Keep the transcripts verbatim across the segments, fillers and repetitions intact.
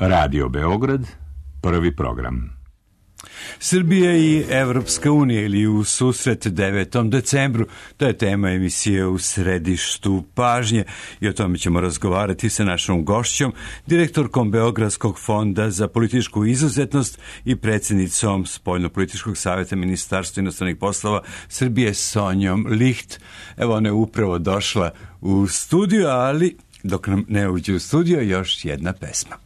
Radio Beograd, prvi program. Srbija i Evropska unija ili u susret devetom decembru, to je tema emisije U središtu pažnje i o tome ćemo razgovarati sa našom gošćom, direktorkom Beogradskog fonda za političku izuzetnost i predsjednicom Spoljno-političkog savjeta Ministarstva inostranih poslova Srbije Sonjom Licht. Evo, ona je upravo došla u studio, ali dok nam ne uđe u studio, još jedna pesma.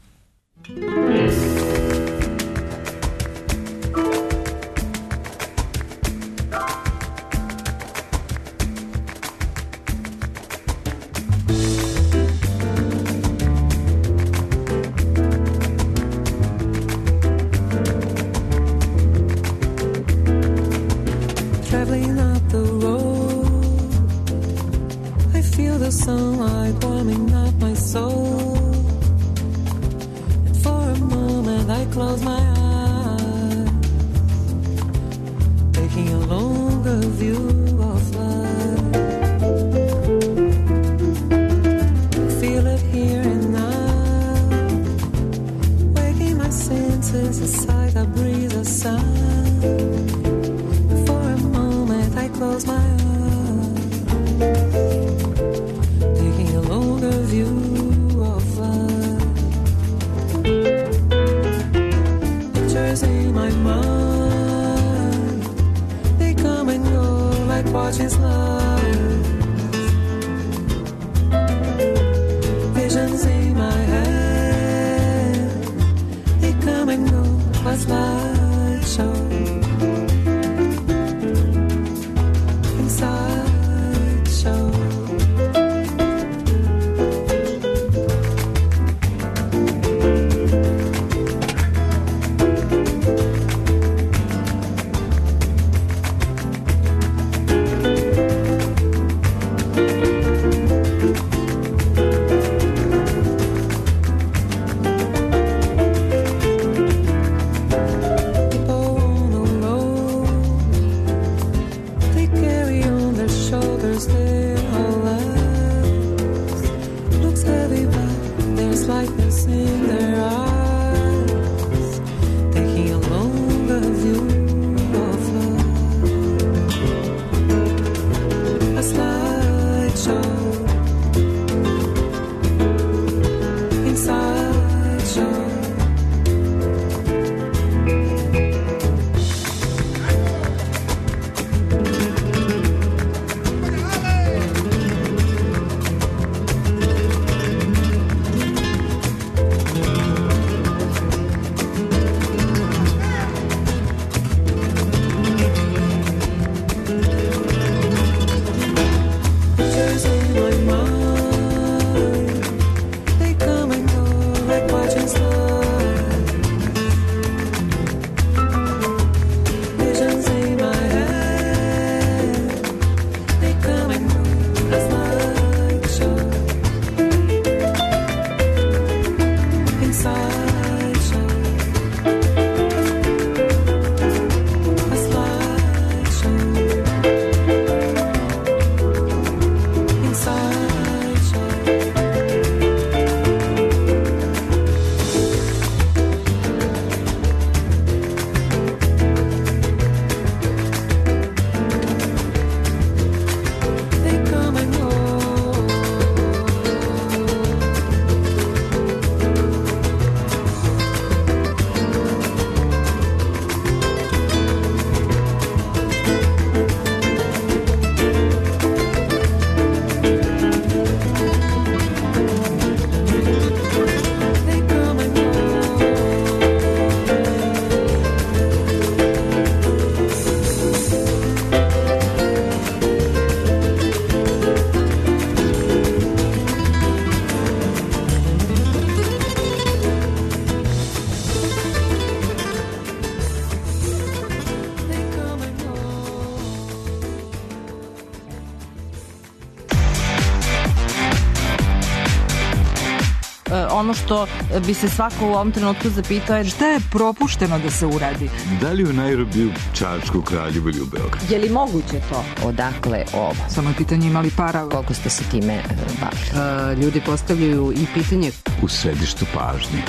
ono što bi se svako u ovom trenutku zapitao je šta je propušteno da se uradi. Da li u Nairobiju, Čačku, Kraljevu ili u Beogradu? Je li moguće to? Odakle ovo? Samo je pitanje imali para. Koliko ste se time bavili? Uh, ljudi postavljaju i pitanje u središtu pažnje.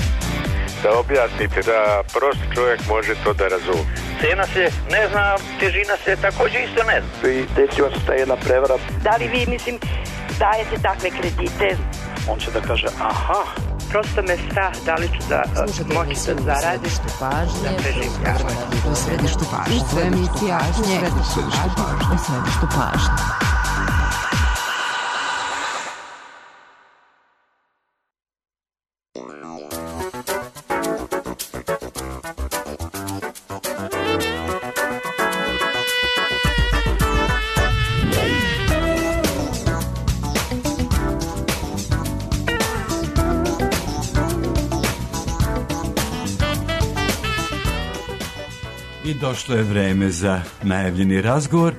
da objasnite, da prost čovjek može to da razumije. Cena se ne zna, težina se također isto ne zna. I desila se ta jedna prevara. Da li vi, mislim, dajete takve kredite? On će da kaže, aha. Prosto me strah, da li ću da moći da zaradim. Pažnje, u središtu pažnje. U središtu pažnje. U središtu pažnje. I došlo je vreme za najavljeni razgovor.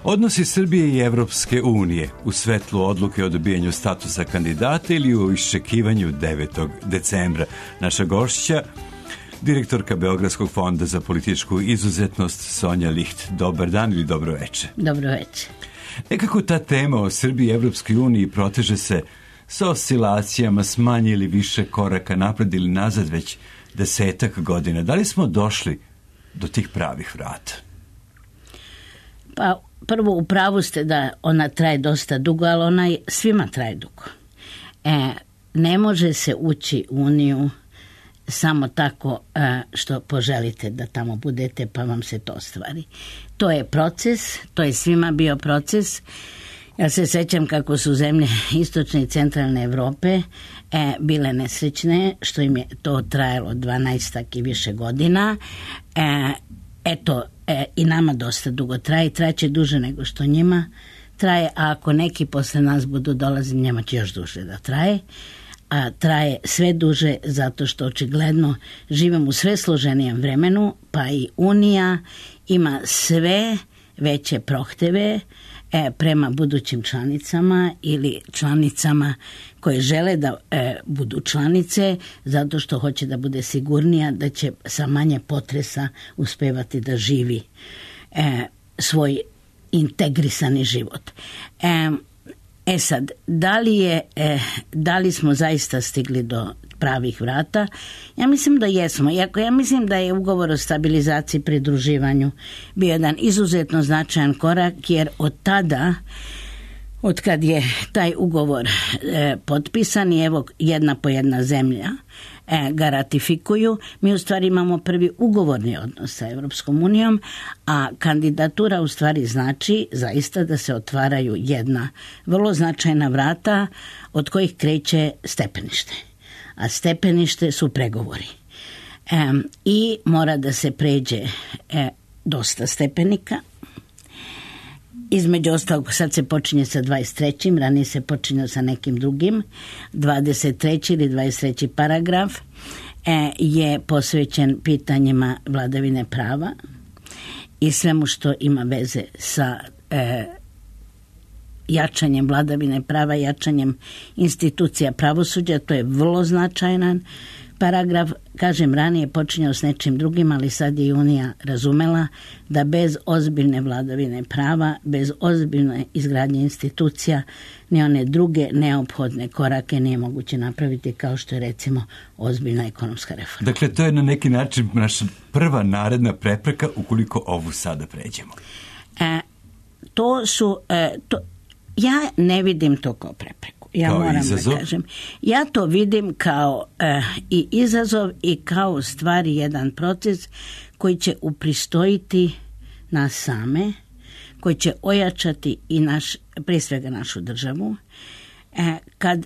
Odnosi Srbije i Evropske unije u svetlu odluke o dobijanju statusa kandidata ili u iščekivanju devetog decembra. Naša gošća, direktorka Beogradskog fonda za političku izuzetnost Sonja Licht. Dobar dan ili dobro večer. Dobro večer. Nekako ta tema o Srbiji i Evropskoj uniji proteže se sa oscilacijama s manje ili više koraka napred ili nazad već desetak godina. Da li smo došli do tih pravih vrata? Pa prvo, u pravu ste da ona traje dosta dugo, ali ona svima traje dugo. E, ne može se ući u Uniju samo tako e, što poželite da tamo budete pa vam se to ostvari. To je proces, to je svima bio proces. Ja se sećam kako su zemlje istočne i centralne Evrope e, bile nesrećne, što im je to trajalo dvanaestak i više godina. E, eto, e, i nama dosta dugo traje, traće duže nego što njima traje, a ako neki posle nas budu dolazili, njima će još duže da traje. A traje sve duže zato što očigledno živimo u sve složenijem vremenu, pa i Unija ima sve veće prohteve e, prema budućim članicama ili članicama koje žele da e, budu članice zato što hoće da bude sigurnija da će sa manje potresa uspevati da živi e, svoj integrisani život. E, e sad, da li, je, e, da li smo zaista stigli do pravih vrata? Ja mislim da jesmo. Iako ja mislim da je ugovor o stabilizaciji i pridruživanju bio jedan izuzetno značajan korak, jer od tada, od kad je taj ugovor e, potpisan i evo jedna po jedna zemlja e, ga ratifikuju, mi u stvari imamo prvi ugovorni odnos sa Evropskom unijom, a kandidatura u stvari znači zaista da se otvaraju jedna vrlo značajna vrata od kojih kreće stepenište. A stepenište su pregovori. E, I mora da se pređe e, dosta stepenika. Između ostalog, sad se počinje sa dvadeset trećim, ranije se počinje sa nekim drugim. dvadeset treći ili dvadeset treći paragraf e, je posvećen pitanjima vladavine prava i svemu što ima veze sa e, jačanjem vladavine prava, jačanjem institucija pravosuđa. To je vrlo značajan paragraf. Kažem, ranije počinjao s nečim drugim, ali sad je Unija razumela da bez ozbiljne vladavine prava, bez ozbiljne izgradnje institucija, ni one druge neophodne korake nije moguće napraviti, kao što je recimo ozbiljna ekonomska reforma. Dakle, to je na neki način naša prva naredna prepreka ukoliko ovu sada pređemo. E, to su... E, to, ja ne vidim to kao prepreku. Ja kao moram izazov? da kažem. Ja to vidim kao e, i izazov i kao stvari jedan proces koji će upristojiti nas same, koji će ojačati i naš, prije svega našu državu. E, kad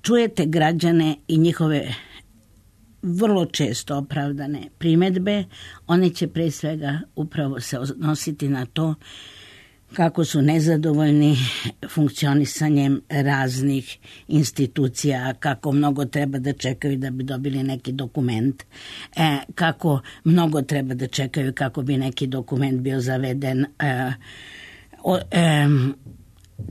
čujete građane i njihove vrlo često opravdane primedbe, oni će prije svega upravo se odnositi na to kako su nezadovoljni funkcionisanjem raznih institucija, kako mnogo treba da čekaju da bi dobili neki dokument, e, kako mnogo treba da čekaju kako bi neki dokument bio zaveden, e, o, e,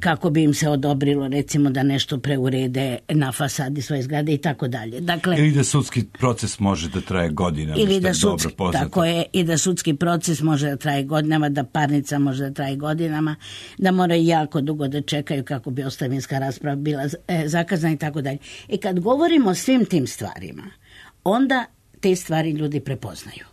kako bi im se odobrilo recimo da nešto preurede na fasadi svoje zgrade i tako dalje. Dakle, ili da sudski proces može da traje godinama, ili da je sudski, dobro poznato. Tako je, i da sudski proces može da traje godinama, da parnica može da traje godinama, da moraju jako dugo da čekaju kako bi ostavinska rasprava bila e, zakazana i tako dalje. I kad govorimo o svim tim stvarima, onda te stvari ljudi prepoznaju.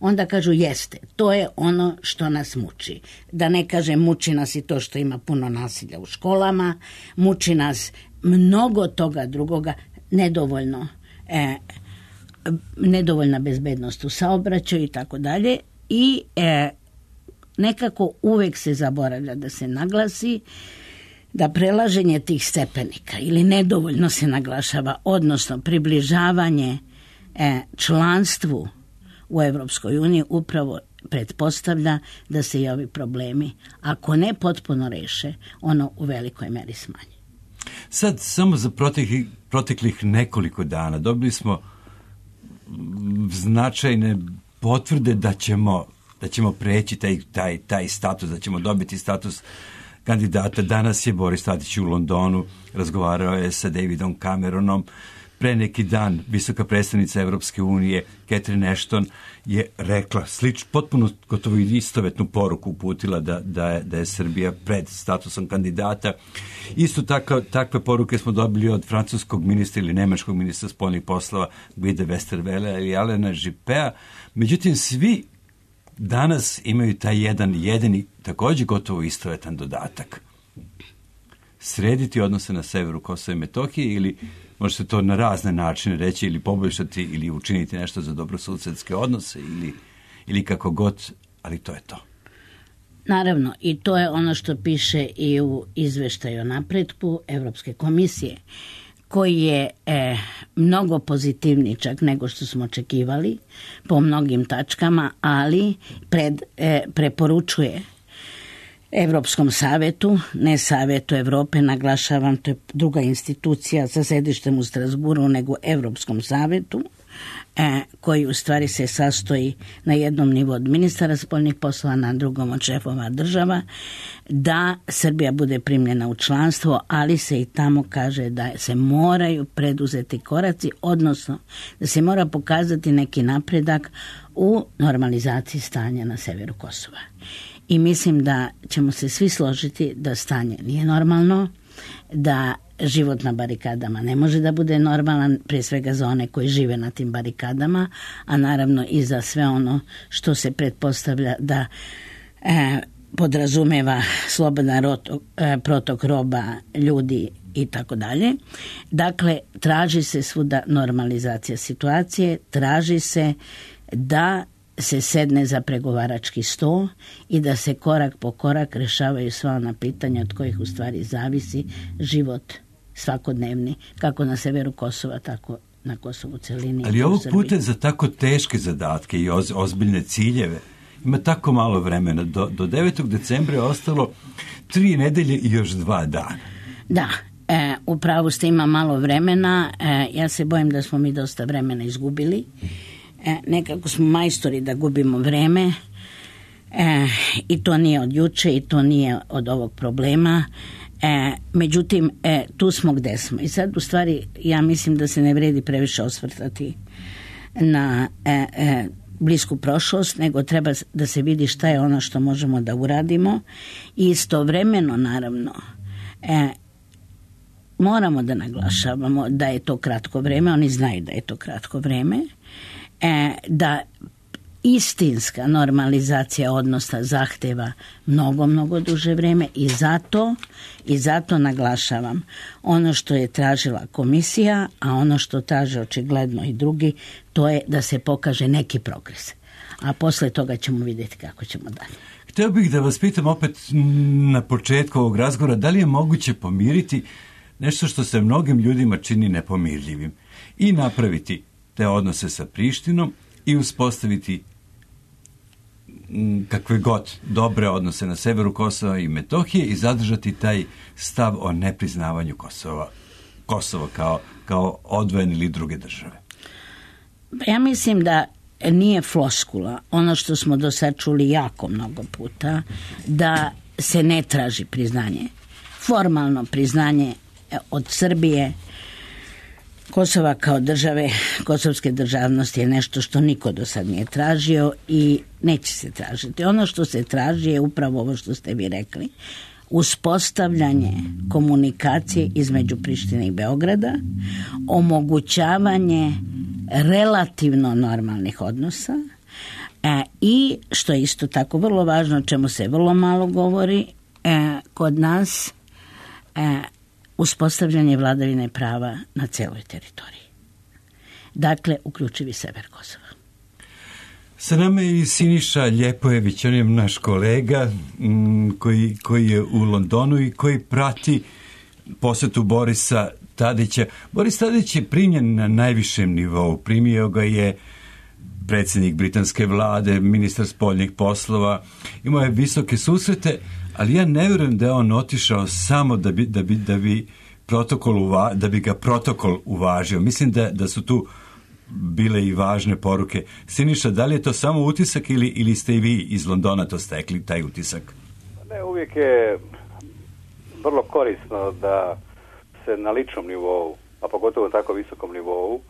Onda kažu jeste, to je ono što nas muči. Da ne kažem muči nas i to što ima puno nasilja u školama, muči nas mnogo toga drugoga, nedovoljno, e, nedovoljna bezbednost u saobraćaju i tako dalje. I e, nekako uvek se zaboravlja da se naglasi da prelaženje tih stepenika ili nedovoljno se naglašava, odnosno približavanje e, članstvu u Evropskoj uniji upravo pretpostavlja da se i ovi problemi, ako ne potpuno reše, ono u velikoj meri smanje. Sad, samo za proteklih, proteklih nekoliko dana dobili smo značajne potvrde da ćemo, da ćemo preći taj, taj, taj status, da ćemo dobiti status kandidata. Danas je Boris Tadić u Londonu, razgovarao je sa Davidom Cameronom. Pre neki dan visoka predstavnica Evropske unije Catherine Ashton je rekla slič, potpuno gotovo istovetnu poruku uputila da, da, je, da je Srbija pred statusom kandidata. Isto tako, takve poruke smo dobili od francuskog ministra ili nemačkog ministra spoljnih poslova Guida Westerwelle ili Alena Juppea. Međutim, svi danas imaju taj jedan jedini, također gotovo istovetan dodatak. Srediti odnose na severu Kosova i Metohije ili može se to na razne načine reći ili poboljšati ili učiniti nešto za dobrosusedske odnose ili, ili kako god, ali to je to. Naravno, i to je ono što piše i u izveštaju o napretku Evropske komisije, koji je e, mnogo pozitivniji čak nego što smo očekivali po mnogim tačkama, ali pred, e, preporučuje Evropskom savetu, ne Savetu Evrope, naglašavam, to je druga institucija sa sedištem u Strasburu, nego Evropskom savetu, e, koji u stvari se sastoji na jednom nivou od ministara spoljnih poslova, na drugom od šefova država, da Srbija bude primljena u članstvo, ali se i tamo kaže da se moraju preduzeti koraci, odnosno da se mora pokazati neki napredak u normalizaciji stanja na severu Kosova. I mislim da ćemo se svi složiti da stanje nije normalno, da život na barikadama ne može da bude normalan, prije svega za one koji žive na tim barikadama, a naravno i za sve ono što se pretpostavlja da e, podrazumeva slobodan rotok, e, protok roba, ljudi i tako dalje. Dakle, traži se svuda normalizacija situacije, traži se da se sedne za pregovarački sto i da se korak po korak rešavaju sva ona pitanja od kojih u stvari zavisi život svakodnevni, kako na severu Kosova, tako na Kosovu celini. Ali ovog puta za tako teške zadatke i oz, ozbiljne ciljeve ima tako malo vremena. Do, do devetog decembra je ostalo tri nedelje i još dva dana. Da, e, upravo ste, ima malo vremena. E, ja se bojim da smo mi dosta vremena izgubili. E, nekako smo majstori da gubimo vreme e, i to nije od juče i to nije od ovog problema. E, međutim, e, tu smo gde smo. I sad, u stvari, ja mislim da se ne vredi previše osvrtati na e, e, blisku prošlost, nego treba da se vidi šta je ono što možemo da uradimo i istovremeno, naravno, e, moramo da naglašavamo da je to kratko vreme, oni znaju da je to kratko vreme, e, da istinska normalizacija odnosa zahteva mnogo, mnogo duže vreme i zato, i zato naglašavam ono što je tražila komisija, a ono što traže očigledno i drugi, to je da se pokaže neki progres. A posle toga ćemo vidjeti kako ćemo dalje. Hteo bih da vas pitam opet na početku ovog razgovora, da li je moguće pomiriti nešto što se mnogim ljudima čini nepomirljivim i napraviti te odnose sa Prištinom i uspostaviti kakve god dobre odnose na severu Kosova i Metohije i zadržati taj stav o nepriznavanju Kosova, Kosova kao, kao odvojen ili druge države? Ja mislim da nije floskula, ono što smo do sad čuli jako mnogo puta, da se ne traži priznanje. Formalno priznanje od Srbije Kosova kao države, kosovske državnosti je nešto što niko do sad nije tražio i neće se tražiti. Ono što se traži je upravo ovo što ste vi rekli. uspostavljanje komunikacije između Prištine i Beograda, omogućavanje relativno normalnih odnosa e, i, što je isto tako vrlo važno, o čemu se vrlo malo govori, e, kod nas e, uspostavljanje vladavine prava na celoj teritoriji. Dakle, uključivi sever Kosova. Sa nama je i Siniša Ljepojević, on je naš kolega m, koji, koji je u Londonu i koji prati posetu Borisa Tadića. Boris Tadić je primljen na najvišem nivou. Primio ga je predsjednik britanske vlade, ministar spoljnih poslova. Imao je visoke susrete, ali ja ne vjerujem da je on otišao samo da bi, da bi, da bi, protokol uva, da bi ga protokol uvažio. Mislim da, da su tu bile i važne poruke. Siniša, da li je to samo utisak ili, ili ste i vi iz Londona to stekli, taj utisak? Ne, uvijek je vrlo korisno da se na ličnom nivou, a pogotovo tako visokom nivou,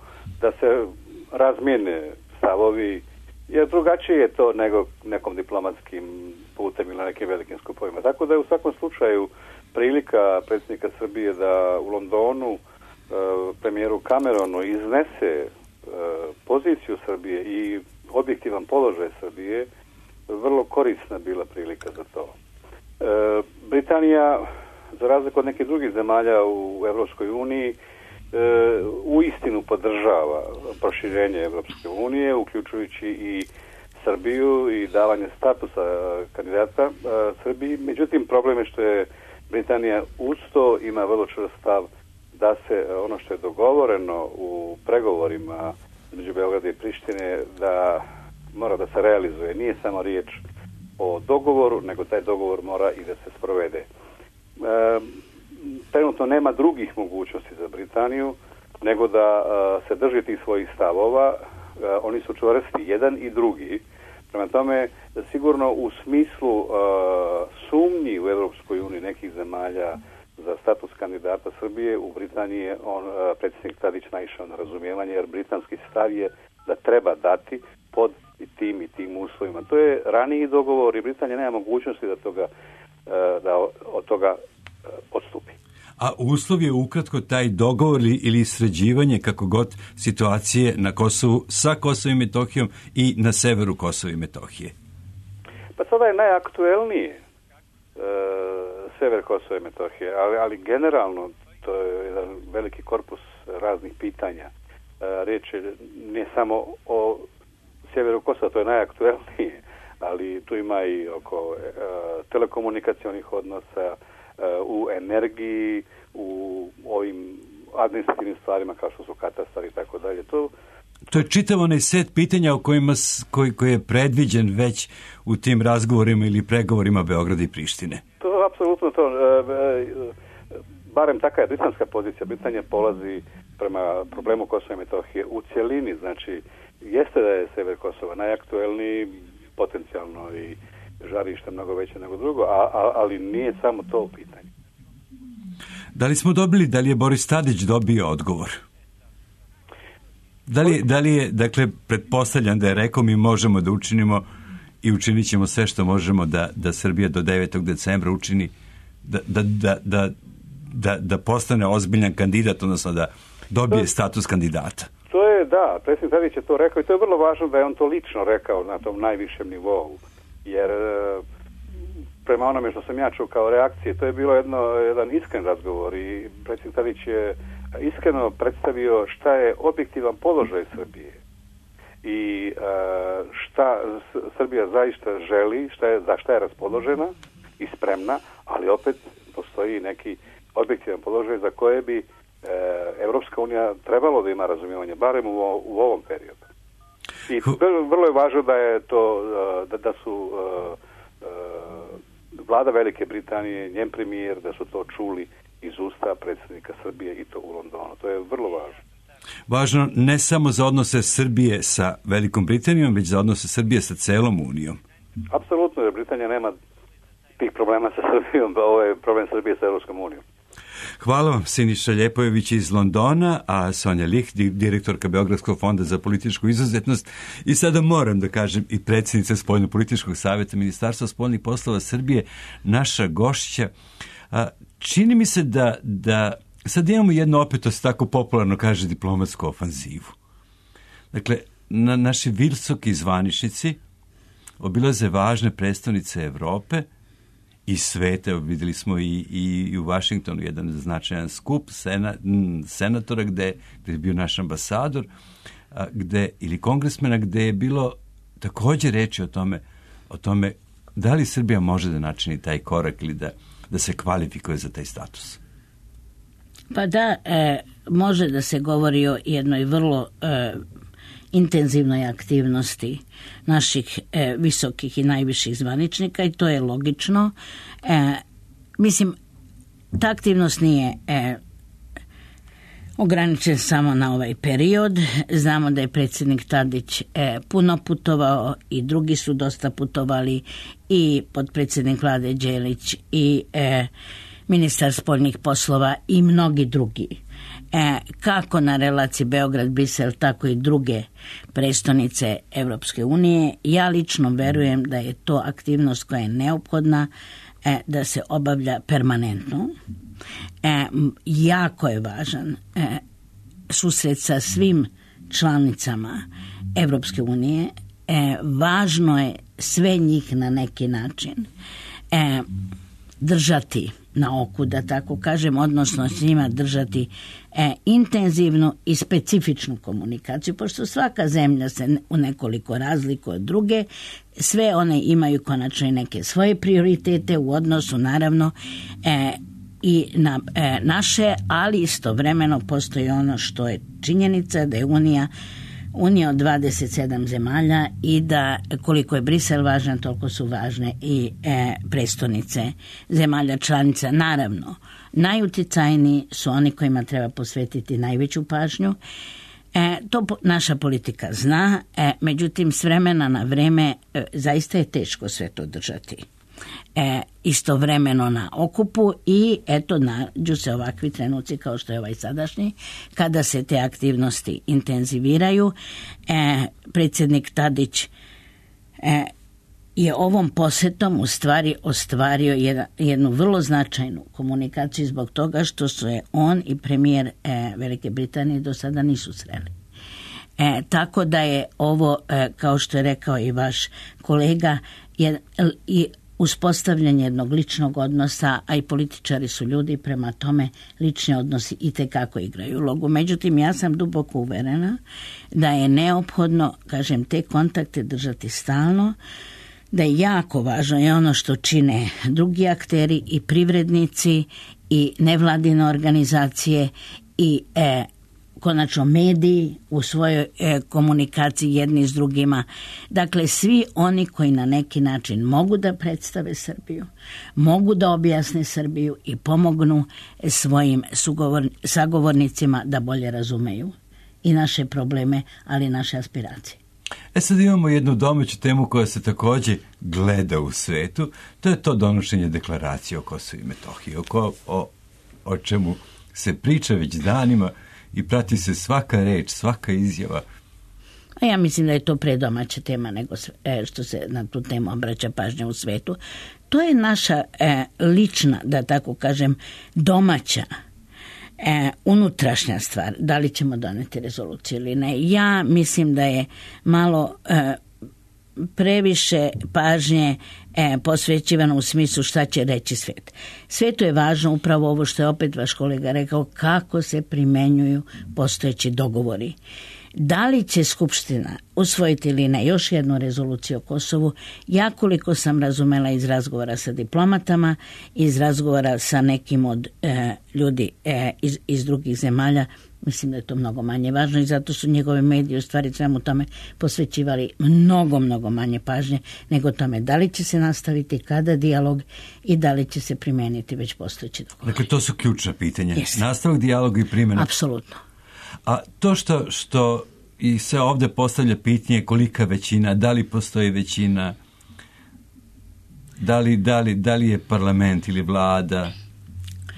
da se razmijene stavovi, jer drugačije je to nego nekom diplomatskim putem ili nekim velikim skupovima. Tako da je u svakom slučaju prilika predsjednika Srbije da u Londonu premijeru Cameronu iznese poziciju Srbije i objektivan položaj Srbije, vrlo korisna bila prilika za to. Britanija, za razliku od nekih drugih zemalja u Evropskoj uniji, uistinu podržava proširenje Evropske unije, uključujući i Srbiju i davanje statusa kandidata Srbiji. Međutim, problem je što je Britanija uz to ima vrlo čvrst stav da se ono što je dogovoreno u pregovorima između Beograda i Prištine da mora da se realizuje. Nije samo riječ o dogovoru, nego taj dogovor mora i da se sprovede. E, trenutno nema drugih mogućnosti za Britaniju nego da a, se drži tih svojih stavova. A, oni su čvrsti, jedan i drugi. Prema tome, sigurno u smislu a, sumnji u Evropskoj uniji nekih zemalja za status kandidata Srbije, u Britaniji je on, predsjednik Tadić naišao na razumijevanje, jer britanski stav je da treba dati pod i tim i tim uslovima. To je raniji dogovor i Britanija nema mogućnosti da, toga, da od toga odstupi. A uslov je ukratko taj dogovor ili sređivanje kako god situacije na Kosovu sa Kosovom i Metohijom i na severu Kosova i Metohije? Pa sada je najaktuelnije sever Kosova i Metohije, ali, ali generalno to je jedan veliki korpus raznih pitanja. Riječ je ne samo o sjeveru Kosova, to je najaktuelnije, ali tu ima i oko e, telekomunikacionih odnosa, e, u energiji, u ovim administrativnim stvarima kao što su katastar i tako dalje. To To je čitav onaj set pitanja o kojima, koji, koji je predviđen već u tim razgovorima ili pregovorima Beograda i Prištine. To je apsolutno to. Barem taka je britanska pozicija. Britanija polazi prema problemu Kosova i Metohije u cjelini. Znači, jeste da je sever Kosova najaktuelniji, potencijalno i žarište mnogo veće nego drugo, a, a, ali nije samo to u pitanju. Da li smo dobili, da li je Boris Tadić dobio odgovor? Da li, da li je, dakle, pretpostavljam da je rekao mi možemo da učinimo i učinit ćemo sve što možemo da, da Srbija do devetog decembra učini, da, da, da, da, da, da postane ozbiljan kandidat, odnosno da dobije to, status kandidata. To je, da, predsjednik Tadić je to rekao i to je vrlo važno da je on to lično rekao na tom najvišem nivou, jer prema onome što sam ja čuo kao reakcije, to je bilo jedno, jedan iskren razgovor i predsjednik Tadić je iskreno predstavio šta je objektivan položaj Srbije i šta Srbija zaista želi, šta je, za šta je raspoložena i spremna, ali opet postoji neki objektivan položaj za koje bi Evropska unija trebalo da ima razumijevanje, barem u, u ovom periodu. I vrlo je važno da je to, da, da su vlada Velike Britanije, njen premijer, da su to čuli iz usta predsjednika Srbije i to u Londonu. To je vrlo važno. Važno ne samo za odnose Srbije sa Velikom Britanijom, već za odnose Srbije sa celom Unijom. Apsolutno, jer Britanija nema tih problema sa Srbijom, pa ovo je problem Srbije sa Evropskom unijom. Hvala vam, Siniša Ljepojević iz Londona, a Sonja Lich, direktorka Beogradskog fonda za političku izuzetnost i sada moram da kažem i predsjednica Spoljno-političkog savjeta Ministarstva spoljnih poslova Srbije, naša gošća. A, čini mi se da, da sad imamo jednu, opet to se tako popularno kaže, diplomatsku ofanzivu. Dakle, na, naši visoki zvaničnici obilaze važne predstavnice Evrope i sveta. Vidjeli smo i, i, i u Vašingtonu jedan značajan skup sena, senatora gde, gde je bio naš ambasador a, gde, ili kongresmena gde je bilo također reći o tome, o tome da li Srbija može da načini taj korak ili da, da se kvalifikuje za taj status. Pa da, e, može da se govori o jednoj vrlo e, intenzivnoj aktivnosti naših e, visokih i najviših zvaničnika i to je logično. E, mislim, ta aktivnost nije e, ograničen samo na ovaj period. Znamo da je predsjednik Tadić e, puno putovao i drugi su dosta putovali i potpredsjednik Vlade Đelić i e, ministar spoljnih poslova i mnogi drugi. E, kako na relaciji Beograd-Brisel, tako i druge prestonice Evropske unije. Ja lično verujem da je to aktivnost koja je neophodna e, da se obavlja permanentno. E, jako je važan e, susret sa svim članicama Evropske unije. E, važno je sve njih na neki način e, držati na oku, da tako kažem, odnosno s njima držati e, intenzivnu i specifičnu komunikaciju, pošto svaka zemlja se u nekoliko razlikuje od druge, sve one imaju konačno i neke svoje prioritete u odnosu, naravno, e, i na e, naše, ali istovremeno postoji ono što je činjenica da je Unija Unija od dvadeset sedam zemalja i da koliko je Brisel važan, toliko su važne i e, prestonice zemalja članica. Naravno, najuticajniji su oni kojima treba posvetiti najveću pažnju. E, to po, naša politika zna, e, međutim s vremena na vreme e, zaista je teško sve to držati. E, istovremeno na okupu i eto nađu se ovakvi trenuci kao što je ovaj sadašnji kada se te aktivnosti intenziviraju. E, predsjednik Tadić e, je ovom posjetom u stvari ostvario jedna, jednu vrlo značajnu komunikaciju zbog toga što su je on i premijer e, Velike Britanije do sada nisu sreli. E, tako da je ovo, e, kao što je rekao i vaš kolega, je, i uspostavljanje jednog ličnog odnosa, a i političari su ljudi, prema tome lični odnosi itekako igraju ulogu. Međutim, ja sam duboko uverena da je neophodno, kažem, te kontakte držati stalno, da je jako važno je ono što čine drugi akteri i privrednici i nevladine organizacije i e, konačno mediji u svojoj e, komunikaciji jedni s drugima. Dakle, svi oni koji na neki način mogu da predstave Srbiju, mogu da objasne Srbiju i pomognu svojim sugovor, sagovornicima da bolje razumeju i naše probleme, ali i naše aspiracije. E sad imamo jednu domaću temu koja se također gleda u svetu, to je to donošenje deklaracije o Kosovu i Metohiji, o, o, o čemu se priča već danima i prati se svaka reč, svaka izjava. A ja mislim da je to predomaća tema nego što se na tu temu obraća pažnja u svetu. To je naša e, lična, da tako kažem, domaća e, unutrašnja stvar. Da li ćemo doneti rezoluciju ili ne? Ja mislim da je malo e, previše pažnje e, posvećivano u smislu šta će reći svet. Svetu je važno upravo ovo što je opet vaš kolega rekao, kako se primenjuju postojeći dogovori. Da li će Skupština usvojiti ili ne još jednu rezoluciju o Kosovu, ja koliko sam razumela iz razgovora sa diplomatama, iz razgovora sa nekim od e, ljudi e, iz, iz drugih zemalja, mislim da je to mnogo manje važno i zato su njegove medije u stvari svemu tome posvećivali mnogo, mnogo manje pažnje nego tome da li će se nastaviti, kada dijalog i da li će se primeniti već postojeći dogovor. Dakle, to su ključna pitanja. Jeste. Nastavak dijaloga i primjena. Apsolutno. A to što, što i se ovdje postavlja pitanje kolika većina, da li postoji većina, da li, da li, da li je parlament ili vlada?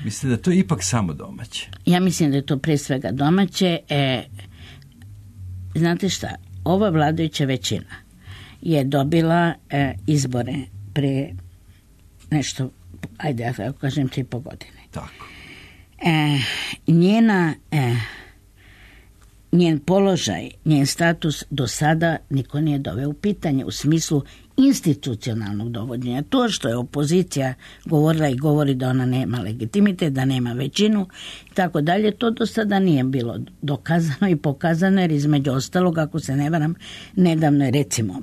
Mislite da to je ipak samo domaće? Ja mislim da je to pre svega domaće. E, znate šta, ova vladajuća većina je dobila e, izbore pre nešto, ajde ja tako kažem, tri i po godine. Tako. E, njena, e, njen položaj, njen status do sada niko nije doveo u pitanje u smislu institucionalnog dovođenja. To što je opozicija govorila i govori da ona nema legitimitet, da nema većinu i tako dalje, to do sada nije bilo dokazano i pokazano, jer između ostalog, ako se ne varam, nedavno je recimo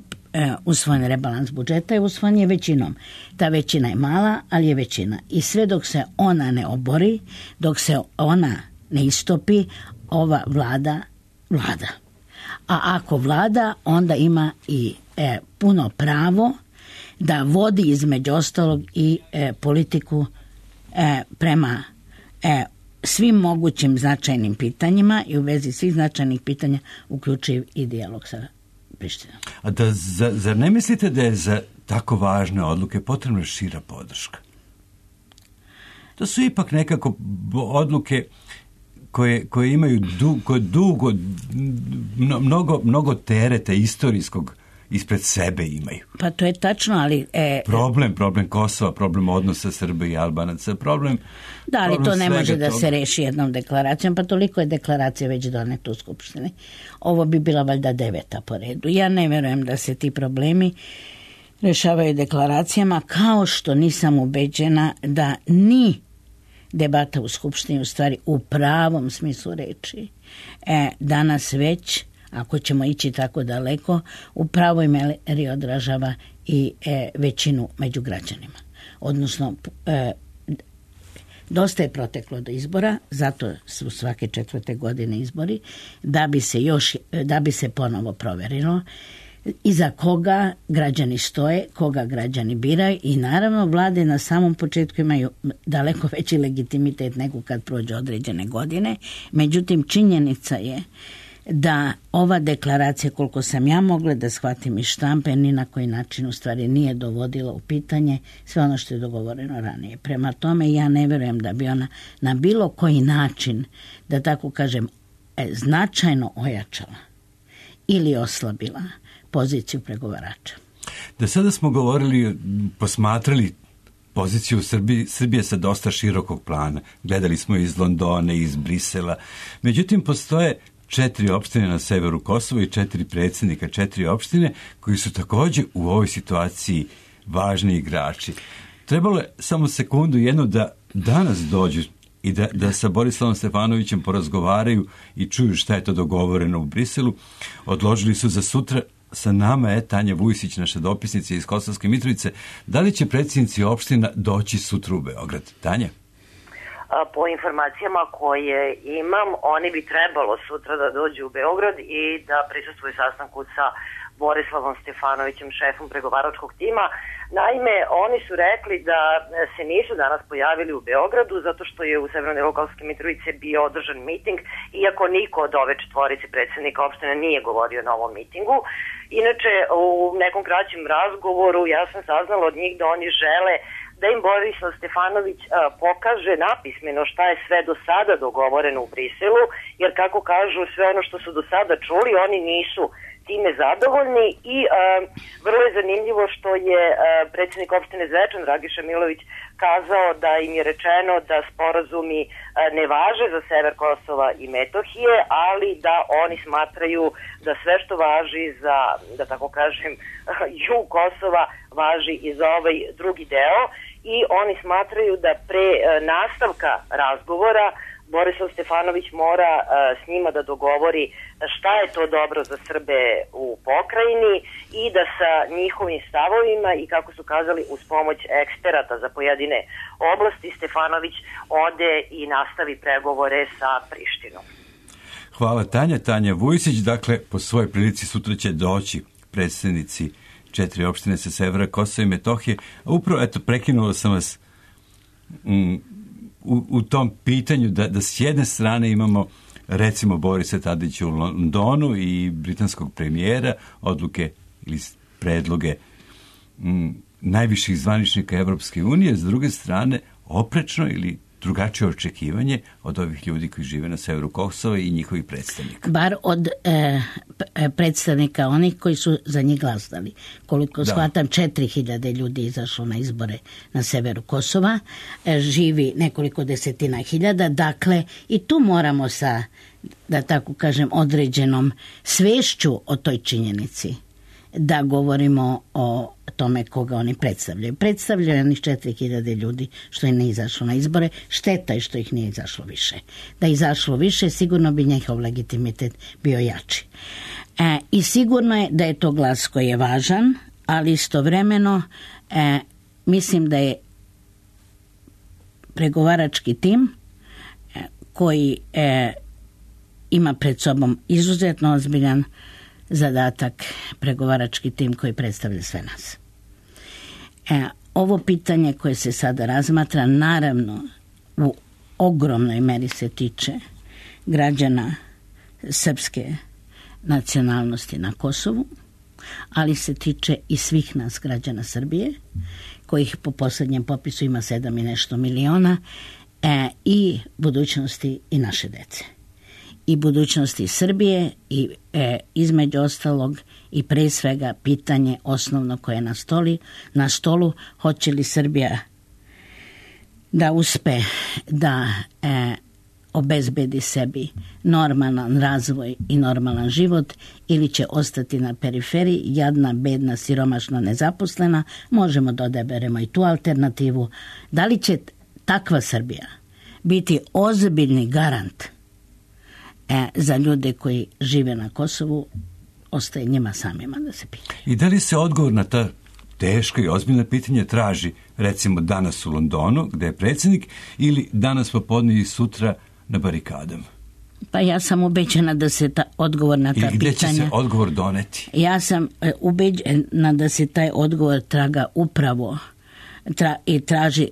usvojen rebalans budžeta i usvojen je većinom. Ta većina je mala, ali je većina. I sve dok se ona ne obori, dok se ona ne istopi, ova vlada vlada. A ako vlada, onda ima i e, puno pravo da vodi između ostalog i e, politiku e, prema e, svim mogućim značajnim pitanjima i u vezi svih značajnih pitanja uključiv i dijalog sa Prištinom. A da, za, zar ne mislite da je za tako važne odluke potrebna šira podrška? To su ipak nekako odluke koje, koje imaju dugo, dugo mnogo, mnogo tereta istorijskog ispred sebe imaju. Pa to je tačno, ali... E, problem, problem Kosova, problem odnosa Srbije i Albanaca, problem... Da, ali problem to ne može da toga. se reši jednom deklaracijom, pa toliko je deklaracija već doneta u Skupštini. Ovo bi bila valjda deveta po redu. Ja ne verujem da se ti problemi rešavaju deklaracijama, kao što nisam ubeđena da ni debata u Skupštini u stvari u pravom smislu reči e, danas već, ako ćemo ići tako daleko, u pravoj meri odražava i e, većinu među građanima. Odnosno, e, dosta je proteklo do izbora, zato su svake četvrte godine izbori, da bi se još, da bi se ponovo proverilo iza koga građani stoje, koga građani biraju i naravno vlade na samom početku imaju daleko veći legitimitet nego kad prođe određene godine. Međutim, činjenica je da ova deklaracija, koliko sam ja mogla da shvatim iz štampe, ni na koji način u stvari nije dovodila u pitanje sve ono što je dogovoreno ranije. Prema tome, ja ne vjerujem da bi ona na bilo koji način, da tako kažem, značajno ojačala ili oslabila poziciju pregovarača. Da sada smo govorili, posmatrali poziciju Srbije, Srbije sa dosta širokog plana. Gledali smo iz Londona, iz Brisela. Međutim, postoje četiri opštine na severu Kosova i četiri predsjednika, četiri opštine koji su također u ovoj situaciji važni igrači. Trebalo je samo sekundu jednu da danas dođu i da, da sa Borislavom Stefanovićem porazgovaraju i čuju šta je to dogovoreno u Briselu. Odložili su za sutra. Sa nama je Tanja Vujsić, naša dopisnica iz Kosovske Mitrovice. Da li će predsjednici opština doći sutra u Beograd? Tanja? Po informacijama koje imam, oni bi trebalo sutra da dođu u Beograd i da prisustvuju sastanku sa Borislavom Stefanovićem, šefom pregovaračkog tima. Naime, oni su rekli da se nisu danas pojavili u Beogradu zato što je u Severnoj Kosovske Mitrovice bio održan miting, iako niko od ove četvorice predsjednika opštine nije govorio na ovom mitingu. Inače, u nekom kraćem razgovoru ja sam saznala od njih da oni žele da im Borislav Stefanović a, pokaže napismeno šta je sve do sada dogovoreno u Briselu, jer kako kažu, sve ono što su do sada čuli, oni nisu time zadovoljni i a, vrlo je zanimljivo što je a, predsjednik opštine Zvečan, Dragiša Milović, kazao da im je rečeno da sporazumi a, ne važe za sever Kosova i Metohije, ali da oni smatraju da sve što važi za, da tako kažem, jug Kosova važi i za ovaj drugi deo i oni smatraju da pre a, nastavka razgovora Borislav Stefanović mora a, s njima da dogovori šta je to dobro za Srbe u pokrajini i da sa njihovim stavovima i kako su kazali uz pomoć eksperata za pojedine oblasti Stefanović ode i nastavi pregovore sa Prištinom. Hvala Tanja. Tanja Vujsić, dakle po svojoj prilici sutra će doći predsjednici četiri opštine sa severa Kosova i Metohije. Upravo, eto, prekinuo sam vas mm, U, u tom pitanju da, da s jedne strane imamo recimo Borisa Tadića u Londonu i britanskog premijera, odluke ili predloge m, najviših zvaničnika Evropske unije, s druge strane oprečno ili drugačije očekivanje od ovih ljudi koji žive na severu Kosova i njihovih predstavnika. Bar od e, predstavnika onih koji su za njih glasali. Koliko da. shvatam, četiri hiljade ljudi izašlo na izbore na severu Kosova, e, živi nekoliko desetina hiljada, dakle i tu moramo sa, da tako kažem, određenom svešću o toj činjenici da govorimo o tome koga oni predstavljaju. Predstavljaju onih četiri hiljade ljudi što je ne izašlo na izbore. Šteta je što ih nije izašlo više. Da je izašlo više, sigurno bi njihov legitimitet bio jači. E, I sigurno je da je to glas koji je važan, ali istovremeno e, mislim da je pregovarački tim e, koji e, ima pred sobom izuzetno ozbiljan zadatak, pregovarački tim koji predstavlja sve nas. E, ovo pitanje koje se sada razmatra, naravno u ogromnoj meri se tiče građana srpske nacionalnosti na Kosovu, ali se tiče i svih nas građana Srbije, kojih po posljednjem popisu ima sedam i nešto miliona, e, i budućnosti i naše dece. I budućnosti Srbije i e, između ostalog i pre svega pitanje osnovno koje je na, stoli, na stolu, hoće li Srbija da uspe da e, obezbedi sebi normalan razvoj i normalan život ili će ostati na periferiji, jadna, bedna, siromašna, nezaposlena. Možemo da odaberemo i tu alternativu. Da li će takva Srbija biti ozbiljni garant E, za ljude koji žive na Kosovu, ostaje njima samima da se pita. I da li se odgovor na ta teška i ozbiljna pitanja traži recimo danas u Londonu, gde je predsjednik, ili danas popodne i sutra na barikadama? Pa ja sam ubeđena da se ta odgovor na ta pitanja... I gde će se odgovor doneti? Ja sam ubeđena da se taj odgovor traga upravo tra, i traži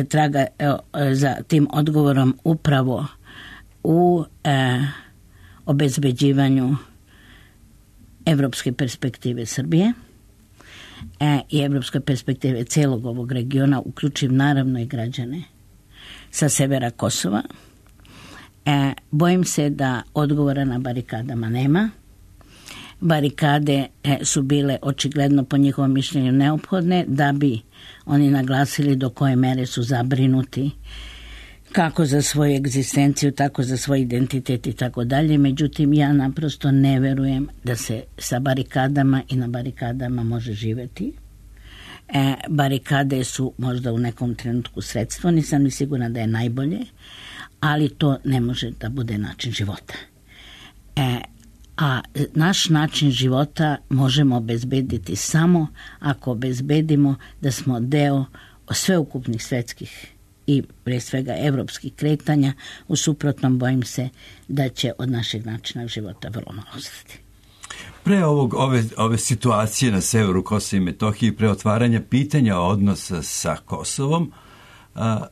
traga e, za tim odgovorom upravo u e, obezbeđivanju evropske perspektive Srbije e, i evropske perspektive celog ovog regiona, uključiv naravno i građane sa severa Kosova. E, bojim se da odgovora na barikadama nema. Barikade e, su bile očigledno po njihovom mišljenju neophodne da bi oni naglasili do koje mere su zabrinuti kako za svoju egzistenciju, tako za svoj identitet i tako dalje. Međutim, ja naprosto ne verujem da se sa barikadama i na barikadama može živeti. E, barikade su možda u nekom trenutku sredstvo, nisam ni sigurna da je najbolje, ali to ne može da bude način života. E, a naš način života možemo obezbediti samo ako obezbedimo da smo deo sveukupnih svetskih i pre svega evropskih kretanja. U suprotnom bojim se da će od našeg načina života vrlo malo ostati. Pre ovog, ove, ove situacije na severu Kosova i Metohije, pre otvaranja pitanja odnosa sa Kosovom, a,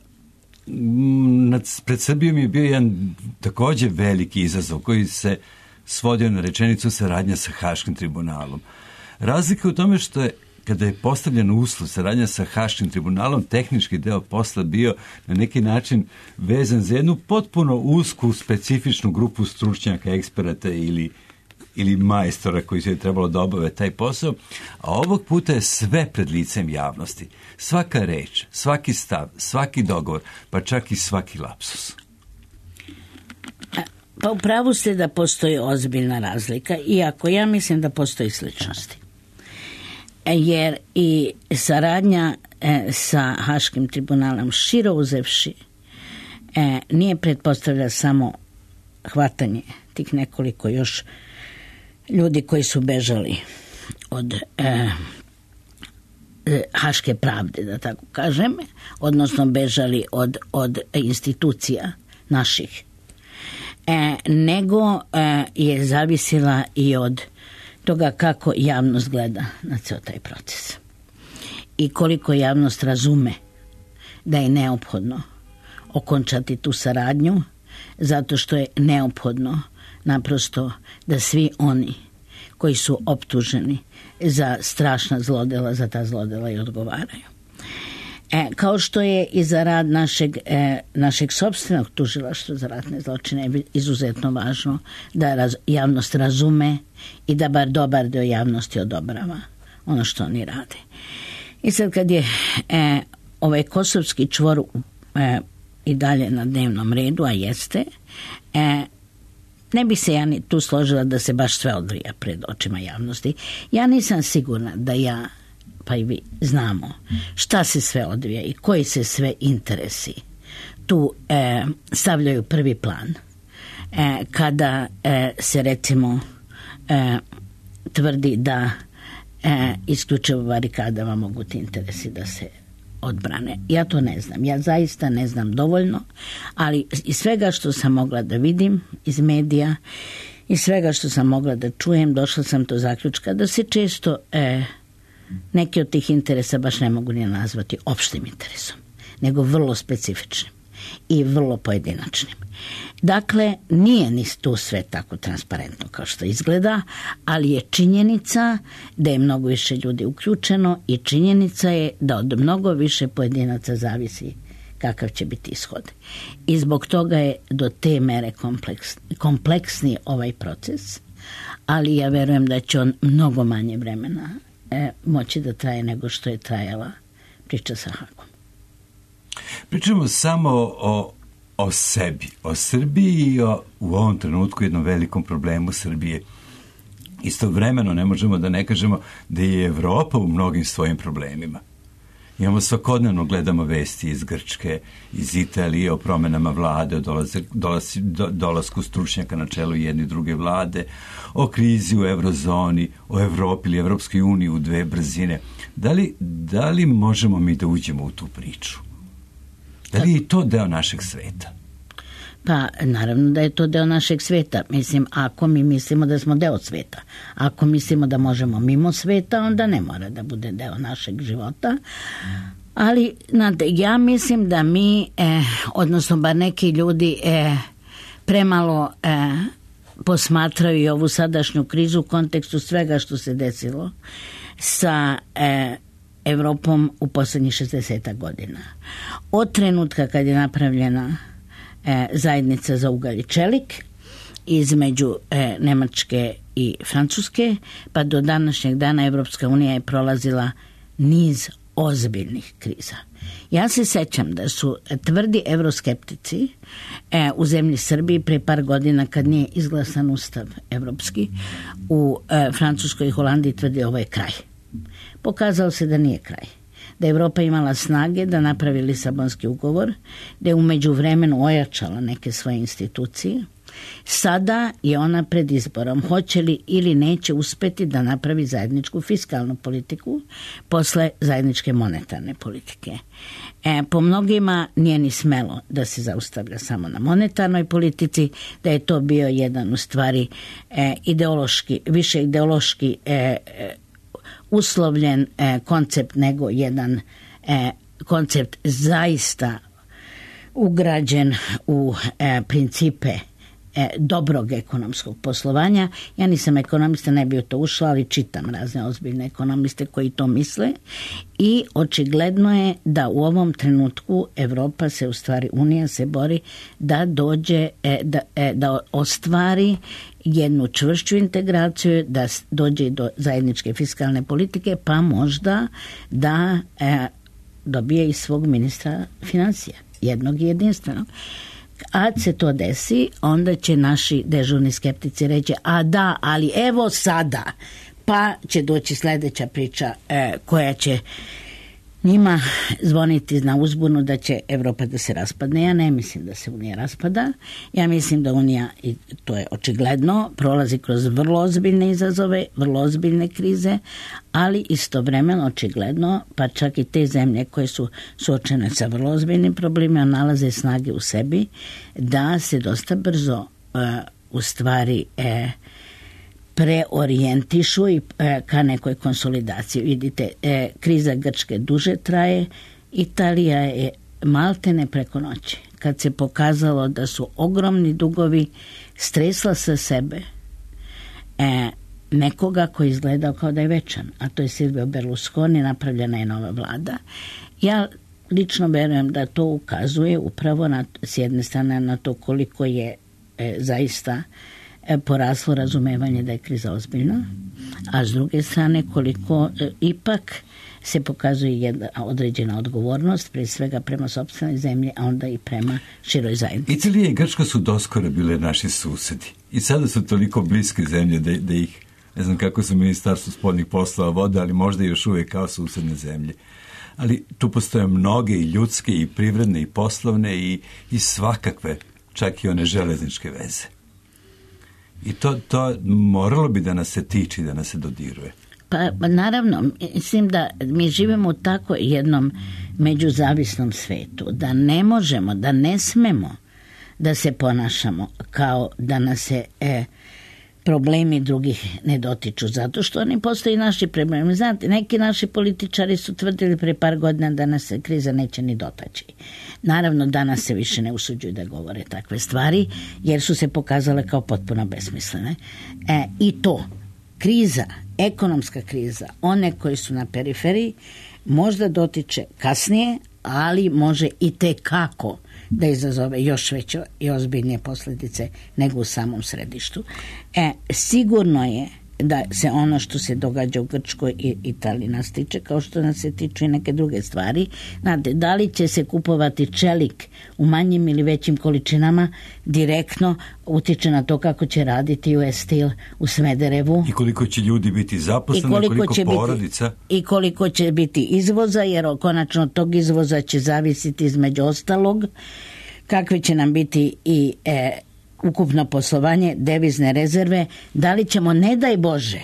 nad, pred Srbijom je bio jedan takođe veliki izazov koji se svodio na rečenicu saradnja sa Haškim tribunalom. Razlika u tome što je kada je postavljen uslov saradnja sa Haškim tribunalom, tehnički deo posla bio na neki način vezan za jednu potpuno usku, specifičnu grupu stručnjaka, eksperata ili, ili majstora koji se je trebalo da obave taj posao, a ovog puta je sve pred licem javnosti. Svaka reč, svaki stav, svaki dogovor, pa čak i svaki lapsus. Pa upravo ste da postoji ozbiljna razlika, iako ja mislim da postoji sličnosti. Jer i saradnja e, sa Haškim tribunalom širo uzevši e, nije pretpostavlja samo hvatanje tih nekoliko još ljudi koji su bežali od e, e, Haške pravde, da tako kažem, odnosno bežali od, od institucija naših, e, nego e, je zavisila i od toga kako javnost gleda na ceo taj proces i koliko javnost razume da je neophodno okončati tu saradnju, zato što je neophodno naprosto da svi oni koji su optuženi za strašna zlodela, za ta zlodela i odgovaraju. E, kao što je i za rad našeg, e, našeg sopstvenog tužilaštva za ratne zločine je izuzetno važno da raz, javnost razume i da bar dobar dio javnosti odobrava ono što oni rade. I sad kad je e, ovaj kosovski čvor e, i dalje na dnevnom redu, a jeste, e, ne bi se ja ni tu složila da se baš sve odvija pred očima javnosti. Ja nisam sigurna da ja, pa i vi, znamo šta se sve odvija i koji se sve interesi tu e, stavljaju prvi plan. E, kada e, se recimo e, tvrdi da e, isključivo barikadama mogu ti interesi da se odbrane. Ja to ne znam. Ja zaista ne znam dovoljno, ali iz svega što sam mogla da vidim iz medija i svega što sam mogla da čujem, došla sam do zaključka da se često e, neki od tih interesa baš ne mogu ni nazvati opštim interesom, nego vrlo specifičnim i vrlo pojedinačnim. Dakle, nije ni tu sve tako transparentno kao što izgleda, ali je činjenica da je mnogo više ljudi uključeno i činjenica je da od mnogo više pojedinaca zavisi kakav će biti ishod. I zbog toga je do te mere kompleks, kompleksni ovaj proces, ali ja verujem da će on mnogo manje vremena e, moći da traje nego što je trajala priča sa Hagom. Pričamo samo o, o sebi, o Srbiji i o, u ovom trenutku jednom velikom problemu Srbije. Istovremeno ne možemo da ne kažemo da je Evropa u mnogim svojim problemima. Imamo svakodnevno, gledamo vesti iz Grčke, iz Italije o promenama vlade, o dolaze, dolazi, do, dolasku stručnjaka na čelu jedne i druge vlade, o krizi u eurozoni, o Evropi ili Evropskoj uniji u dve brzine. Da li, da li možemo mi da uđemo u tu priču? Da li je to deo našeg sveta? Pa, naravno da je to deo našeg sveta. Mislim, ako mi mislimo da smo deo sveta. Ako mislimo da možemo mimo sveta, onda ne mora da bude deo našeg života. Ali, znate, ja mislim da mi, eh, odnosno bar neki ljudi, eh, premalo eh, posmatraju i ovu sadašnju krizu u kontekstu svega što se desilo sa eh, Evropom u poslednjih šezdeset godina. Od trenutka kad je napravljena e, zajednica za ugalj i čelik između e, Nemačke i Francuske, pa do današnjeg dana Evropska unija je prolazila niz ozbiljnih kriza. Ja se sećam da su tvrdi evroskeptici e, u zemlji Srbiji pre par godina kad nije izglasan ustav evropski u e, Francuskoj i Holandiji tvrdi ovo je kraj. Pokazalo se da nije kraj. Da je Evropa imala snage da napravi Lisabonski ugovor, da je u međuvremenu ojačala neke svoje institucije. Sada je ona pred izborom. Hoće li ili neće uspeti da napravi zajedničku fiskalnu politiku posle zajedničke monetarne politike. E, po mnogima nije ni smelo da se zaustavlja samo na monetarnoj politici, da je to bio jedan u stvari e, ideološki, više ideološki e, e, uslovljen e, koncept nego jedan e, koncept zaista ugrađen u e, principe e, dobrog ekonomskog poslovanja. Ja nisam ekonomista, ne bi u to ušla, ali čitam razne ozbiljne ekonomiste koji to misle i očigledno je da u ovom trenutku Evropa se, u stvari Unija se bori da dođe, e, da, e, da ostvari jednu čvršću integraciju, da dođe do zajedničke fiskalne politike, pa možda da e, dobije i svog ministra financija, jednog i jedinstvenog. A se to desi, onda će naši dežurni skeptici reći, a da, ali evo sada, pa će doći sledeća priča e, koja će njima zvoniti na uzbunu da će Evropa da se raspadne. Ja ne mislim da se Unija raspada. Ja mislim da Unija, i to je očigledno, prolazi kroz vrlo ozbiljne izazove, vrlo ozbiljne krize, ali istovremeno očigledno, pa čak i te zemlje koje su suočene sa vrlo ozbiljnim problemima nalaze snage u sebi da se dosta brzo uh, u stvari uh, preorijentišu i e, ka nekoj konsolidaciji. Vidite, e, kriza Grčke duže traje, Italija je maltene preko noći. Kad se pokazalo da su ogromni dugovi stresla sa sebe e, nekoga koji izgledao kao da je večan, a to je Silvio Berlusconi, napravljena je nova vlada. Ja lično verujem da to ukazuje upravo na, s jedne strane na to koliko je e, zaista e, poraslo razumevanje da je kriza ozbiljna, a s druge strane koliko e, ipak se pokazuje jedna određena odgovornost, prije svega prema sopstvenoj zemlji, a onda i prema široj zajednici. Italija i Grčka su doskoro bile naši susedi i sada su toliko bliske zemlje da, da ih, ne znam kako su ministarstvo spoljnih poslova vode, ali možda još uvijek kao susedne zemlje. Ali tu postoje mnoge i ljudske i privredne i poslovne i, i svakakve, čak i one železničke veze. I to, to moralo bi da nas se tiče, da nas se dodiruje. Pa naravno, mislim da mi živimo u tako jednom međuzavisnom svetu, da ne možemo, da ne smemo da se ponašamo kao da nas se e, problemi drugih ne dotiču, zato što oni postoji naši problemi. Znate, neki naši političari su tvrdili pre par godina da nas se kriza neće ni dotaći. Naravno, danas se više ne usuđuju da govore takve stvari, jer su se pokazale kao potpuno besmislene. E, I to, kriza, ekonomska kriza, one koji su na periferiji, možda dotiče kasnije, ali može i tekako da izazove još veće i ozbiljnije posljedice nego u samom središtu. E, sigurno je da se ono što se događa u Grčkoj i Italiji nas tiče, kao što nas se tiču i neke druge stvari. Znate, da li će se kupovati čelik u manjim ili većim količinama, direktno utiče na to kako će raditi U S Steel u Smederevu. I koliko će ljudi biti zaposleni, koliko, koliko će porodica. Biti, I koliko će biti izvoza, jer konačno od tog izvoza će zavisiti između ostalog kakve će nam biti i e, ukupno poslovanje, devizne rezerve, da li ćemo, ne daj Bože,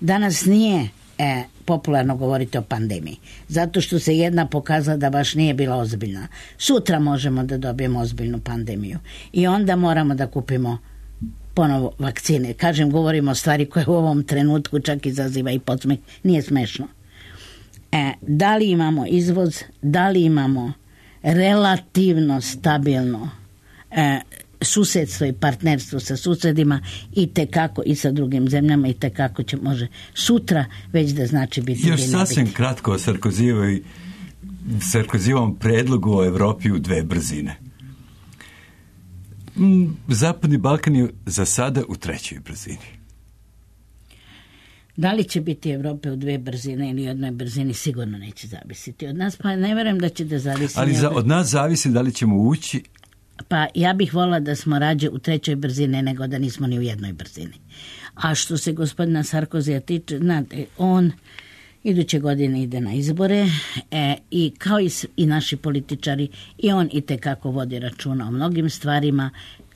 danas nije e, popularno govoriti o pandemiji, zato što se jedna pokazala da baš nije bila ozbiljna. Sutra možemo da dobijemo ozbiljnu pandemiju i onda moramo da kupimo ponovo vakcine. Kažem, govorimo o stvari koje u ovom trenutku čak izaziva i podsmeh. Nije smešno. E, da li imamo izvoz, da li imamo relativno stabilno e, susedstvo i partnerstvo sa susedima i tekako i sa drugim zemljama i tekako će može sutra već da znači biti. Još sasvim biti. Kratko o Sarkozijevoj Sarkozijevom predlogu o Evropi u dve brzine. Zapadni Balkan je za sada u trećoj brzini. Da li će biti Evrope u dve brzine ili jednoj brzini, sigurno neće zavisiti od nas, pa ne verujem da će da zavisi. Ali za, od nas zavisi da li ćemo ući. Pa ja bih volila da smo rađe u trećoj brzini nego da nismo ni u jednoj brzini. A što se gospodina Sarkozija tiče, znate, on iduće godine ide na izbore e, i kao i, i naši političari, i on i tekako vodi računa o mnogim stvarima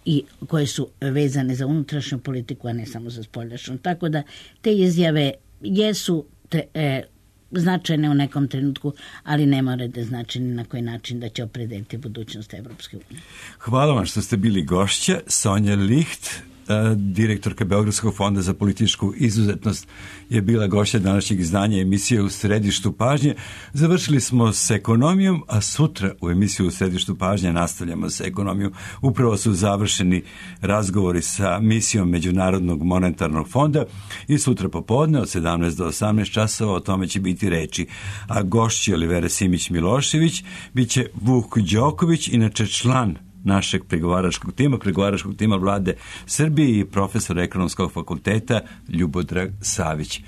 i koje su vezane za unutrašnju politiku, a ne samo za spoljašnju. Tako da te izjave jesu tre, e, značajne u nekom trenutku, ali ne mora da znači ni na koji način da će opredeliti budućnost Evropske unije. Hvala vam što ste bili gošća. Sonja Licht, direktorka Beogradskog fonda za političku izuzetnost, je bila gošća današnjeg izdanja emisije U središtu pažnje. Završili smo s ekonomijom, a sutra u emisiju U središtu pažnje nastavljamo s ekonomijom. Upravo su završeni razgovori sa misijom Međunarodnog monetarnog fonda i sutra popodne od sedamnaest do osamnaest časova o tome će biti reči. A gošći Olivera Simić-Milošević bit će Vuk Đoković, inače član našeg pregovaračkog tima, pregovaračkog tima vlade Srbije i profesor ekonomskog fakulteta Ljubodrag Savić.